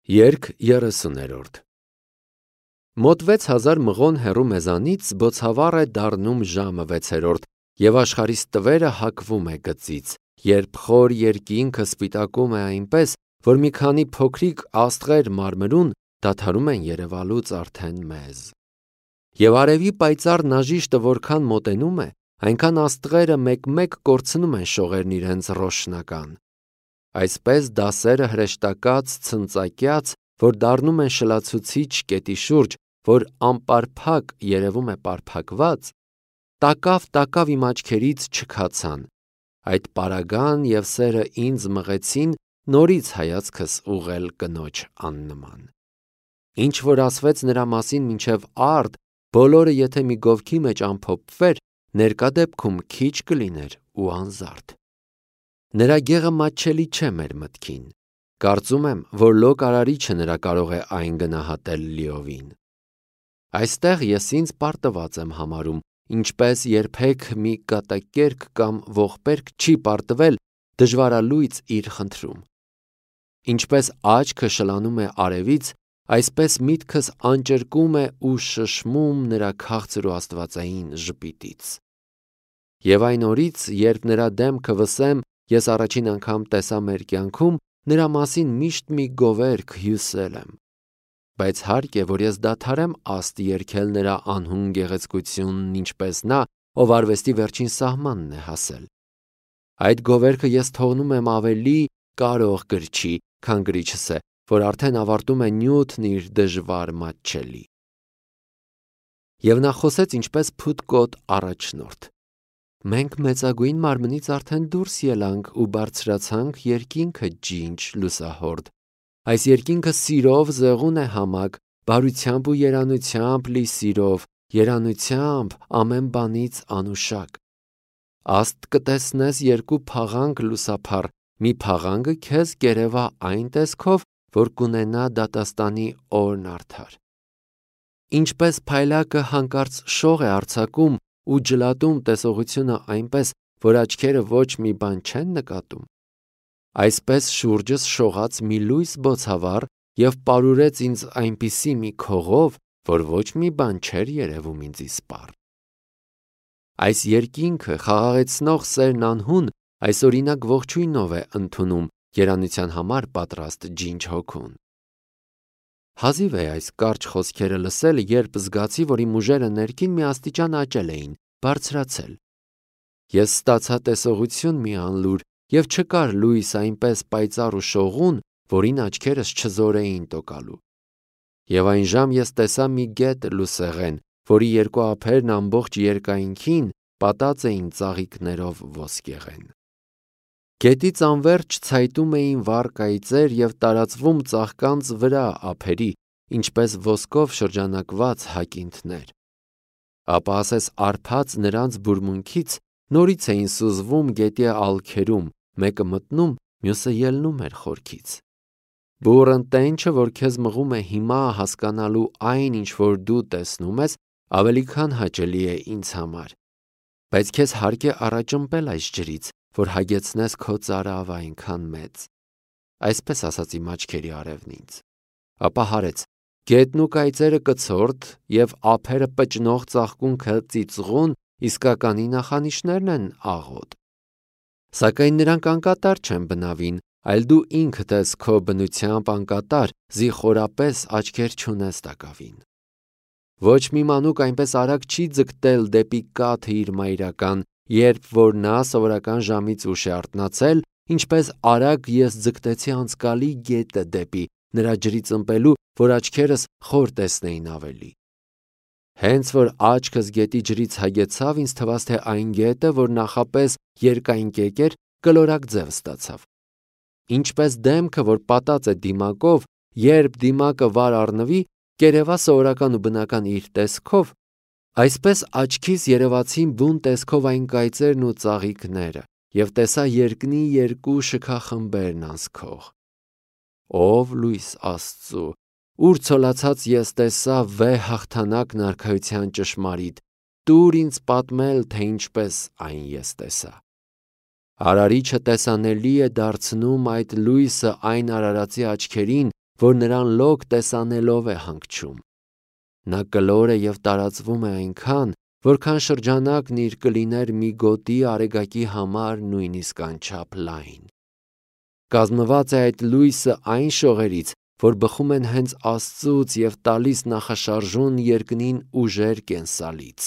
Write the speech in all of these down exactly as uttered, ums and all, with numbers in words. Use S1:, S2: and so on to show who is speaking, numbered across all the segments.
S1: Երգ երեսուներորդ Մոտ վեց հազար մղոն հեռու մեզանից բոցավառ է դառնում ժամը վեցերորդ, և աշխարհիս տվերը հակվում է գծից, երբ խոր երկինքը սպիտակում է այնպես, որ մի քանի փոքրիկ աստղեր մարմրուն դադարում են երևալուց արդեն մեզ։ Եվ արևի պայծառ նաժիշտը որքան մոտենում է, այնքան աստղերը մեկ-մեկ կորցնում են շողերն իրենց ռոշնական։ Այսպես դասերը հրեշտակած, ցնծակյաց, որ դառնում են շլացուցիչ կետի շուրջ, որ անպարփակ երևում է պարփակված, տակավ-տակավ իմ աչքերից չքացան, այդ պարագան և սերը ինձ մղեցին նորից հայացքս ուղղել կնոջ աննման։ Ինչ որ ասվեց նրա մասին մինչև արդ, բոլորը եթե մի գովքի մեջ ամփոփվեր, ներկա դեպքում քիչ կլիներ ու անզարդ։ Նրա գեղը մատչելի չէ մեր մտքին, կարծում եմ, որ լոկ արարիչը նրա կարող է այն գնահատել լիովին։ Այստեղ ես ինձ պարտված եմ համարում, ինչպես երբեք մի կատակերգ կամ ողբերգ չի պարտվել դժվարալույծ իր խնդրում։ Ինչպես աչքը շլանում է արևից, այսպես միտքս անճրկում է ու շշմում նրա քաղցր ու աստվածային ժպիտից։ Եվ այն օրից, երբ նրա դեմքը վսեմ ես առաջին անգամ տեսա մեր կյանքում, նրա մասին միշտ մի գովերգ հյուսել եմ։ Բայց հարկ է, որ ես դադարեմ աստ երգել նրա անհուն գեղեցկությունն, ինչպես նա, ով արվեստի վերջին սահմանն է հասել։ Այդ գովերգը ես թողնում եմ ավելի կարող գրչի, քան գրիչս է, որ արդեն ավարտում է նյութն իր դժվար մատչելի։ Եվ նա խոսեց ինչպես փութկոտ առաջնորդ. Մենք մեծագույն մարմնից արդեն դուրս ելանք ու բարձրացանք երկինքը ջինջ լուսահորդ։ Այս երկինքը սիրով զեղուն է համակ, բարությամբ ու երանությամբ լի սիրով, երանությամբ ամեն բանից անուշակ։ Աստ կտեսնես երկու փաղանք լուսափառ, մի փաղանգը քեզ կերևա այն տեսքով, որ կունենա դատաստանի օրն արդար։ Ինչպես փայլակը հանկարծ շող է արձակում ու ջլատում տեսողությունը այնպես, որ աչքերը ոչ մի բան չեն նկատում, այսպես շուրջս շողաց մի լույս բոցավառ և պարուրեց ինձ այնպիսի մի քողով, որ ոչ մի բան չէր երևում ինձ իսպառ։ Այս երկինքը խաղաղեցնող սերն անհուն այսօրինակ ողջույնով է ընդունում երանության համար պատրաստ ջինջ հոգուն։ Հազիվ է այս կարճ խոսքերը լսել, երբ զգացի, որ իմ ուժերը ներքին մի աստիճան աճել էին, բարձրացել։ Ես ստացա տեսողություն մի անլուր, և չկար լույս այնպես պայծառ ու շողուն, որին աչքերս չզորեին տոկալու։ Եվ այն ժամ ես տեսա մի գետ լուսեղեն, որի երկու ափերն ամբողջ երկայնքին պատած էին ծաղիկներով ոսկեղեն։ Գետից անվերջ ցայտում էին վառ կայծեր և տարածվում ծաղկանց վրա ափերի, ինչպես ոսկով շրջանակված հակինթներ։ Ապա ասես արփած նրանց բուրմունքից նորից էին սուզվում գետի ալքերում, մեկը մտնում, մյուսը ելնում էր խորքից։ Բուռն տենչը, որ քեզ մղում է հիմա հասկանալու այն, ինչ որ դու տեսնում ես, ավելի քան հաճելի է ինձ համար, բայց քեզ հարկ է առաջընպել այս ջրից, որ հագեցնես քո ծարավը այնքան մեծ։ Այսպես ասաց իմ աչքերի արևն ինձ։ Ապա հարեց. գետն ու կայծերը կցորդ և ափերը պճնող ծաղկունքը ծիծղուն իսկականի նախանիշներն են աղոտ։ Սակայն նրանք անկատար չեն բնավին, այլ դու ինքդ ես քո բնությամբ անկատար, զիխորապես աչքեր չունես տակավին։ Ոչ մի մանուկ այնպես արագ չի ձգտել դեպի կաթը իր մայրական, երբ որ նա սովորական ժամից ուշ է արթնացել, ինչպես արագ ես ձգտեցի անցկալի գետը դեպի նրա ջրից ըմպելու, որ աչքերս խոր տեսնեին ավելի։ Հենց որ աչքս գետի ջրից հագեցավ, ինձ թվաց, թե այն գետը, որ նախապես երկայնկեկ էր, կլորակ ձև ստացավ։ Ինչպես դեմքը, որ պատած է դիմակով, երբ դիմակը վար առնվի, կերևա սովորական ու բնական իր տեսքով, այսպես աչքիս երևացին բուն տեսքով այն կայծերն ու ծաղիկները, և տեսա երկնի երկու շքախմբերն անցքող։ Ով լույս Աստծու, ուր ցոլացած ես տեսա վեհ հաղթանակն արքայության ճշմարիտ, տուր ինձ պատմել, թե ինչպես այն ես տեսա։ Արարիչը տեսանելի է դարձնում այդ լույսը այն արարածի աչքերին, որ նրան լոկ տեսանելով է հանգչում։ Նա կլոր է և տարածվում է այնքան, որքան շրջանակն իր կլիներ մի գոտի արեգակի համար նույնիսկ անչափ լայն։ Կազմված է այդ լույսը այն շողերից, որ բխում են հենց Աստծուց և տալիս նախաշարժուն երկնին ուժեր կենսալից։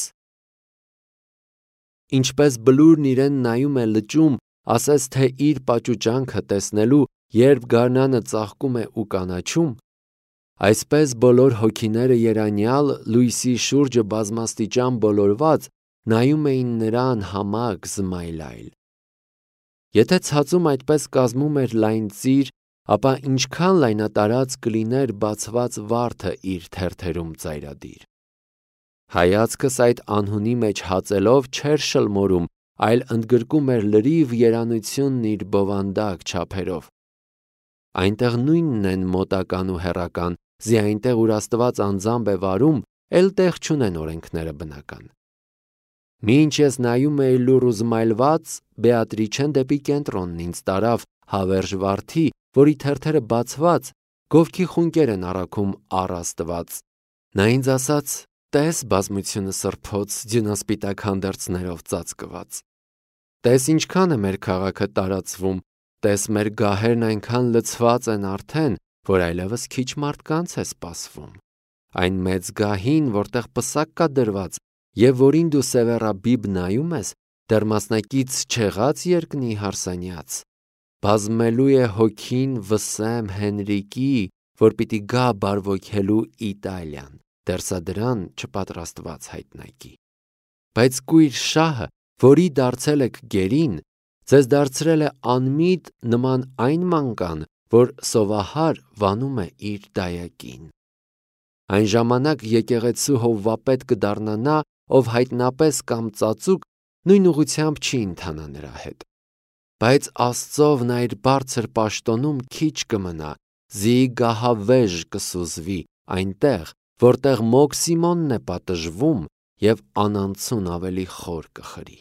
S1: Ինչպես բլուրն իրեն նայում է լճում, ասես թե իր պաճուճանքը տեսնելու, երբ գարնանը ծաղկում է ու կանաչում, այսպես բոլոր հոգիները երանյալ լույսի շուրջը բազմաստիճան բոլորված նայում էին նրան համակ զմայլայլ։ Եթե ցածում այդպես կազմում էր լայն ծիր, ապա ինչքան լայնատարած կլիներ բացված վարդը իր թերթերում ծայրադիր։ Հայացքս այդ անհունի մեջ հածելով չէր շլմորում, այլ ընդգրկում էր լրիվ երանությունն իր բովանդակ չափերով։ Այնտեղ նույնն են մոտական ու հեռական, զի այնտեղ ուր Աստված անձամբ է վարում, էլ տեղ չունեն օրենքները բնական։ Մինչ ես նայում էի լուռ ու զմայլված, Բեատրիչեն դեպի կենտրոնն ինձ տարավ հավերժ վարդի, որի թերթերը բացված, գովքի խունկեր են առաքում առ Աստված։ Նա ինձ ասաց. «Տես բազմությունը սրբոց ձյունասպիտակ հանդերձներով ծածկված։ Տես ինչքան է մեր քաղաքը տարածվում, տես մեր գահերն այնքան լցված են արդեն, որ այլևս քիչ մարդկանց է սպասվում։ Այն մեծ գահին, որտեղ պսակ կա դրված, և որին դու սևեռաբիբ նայում ես, դեռ մասնակից չեղած երկնի հարսանյաց։ Բազմելու է հոգին Վսեմ Հենրիկի, որ պիտի գա բարվոքելու Իտալիան, դեռ սա դրան չպատրաստված հայտնայքի։ Բայց կույր շահը, որի դարձել եք գերին, ձեզ դարձրել է անմիտ նման այն մանկան, որ սովահար վանում է իր դայակին։ Այն ժամանակ եկեղեցու հովվապետ կդառնա նա, ով հայտնապես կամ ծածուկ նույն ուղղությամբ չի ընթանա նրա հետ։ Բայց Աստծով նա իր բարձր պաշտոնում քիչ կմնա, զի գահավեժ կսուզվի այնտեղ, որտեղ մոգ Սիմոնն է պատժվում և անանցուն ավելի խոր կխրի։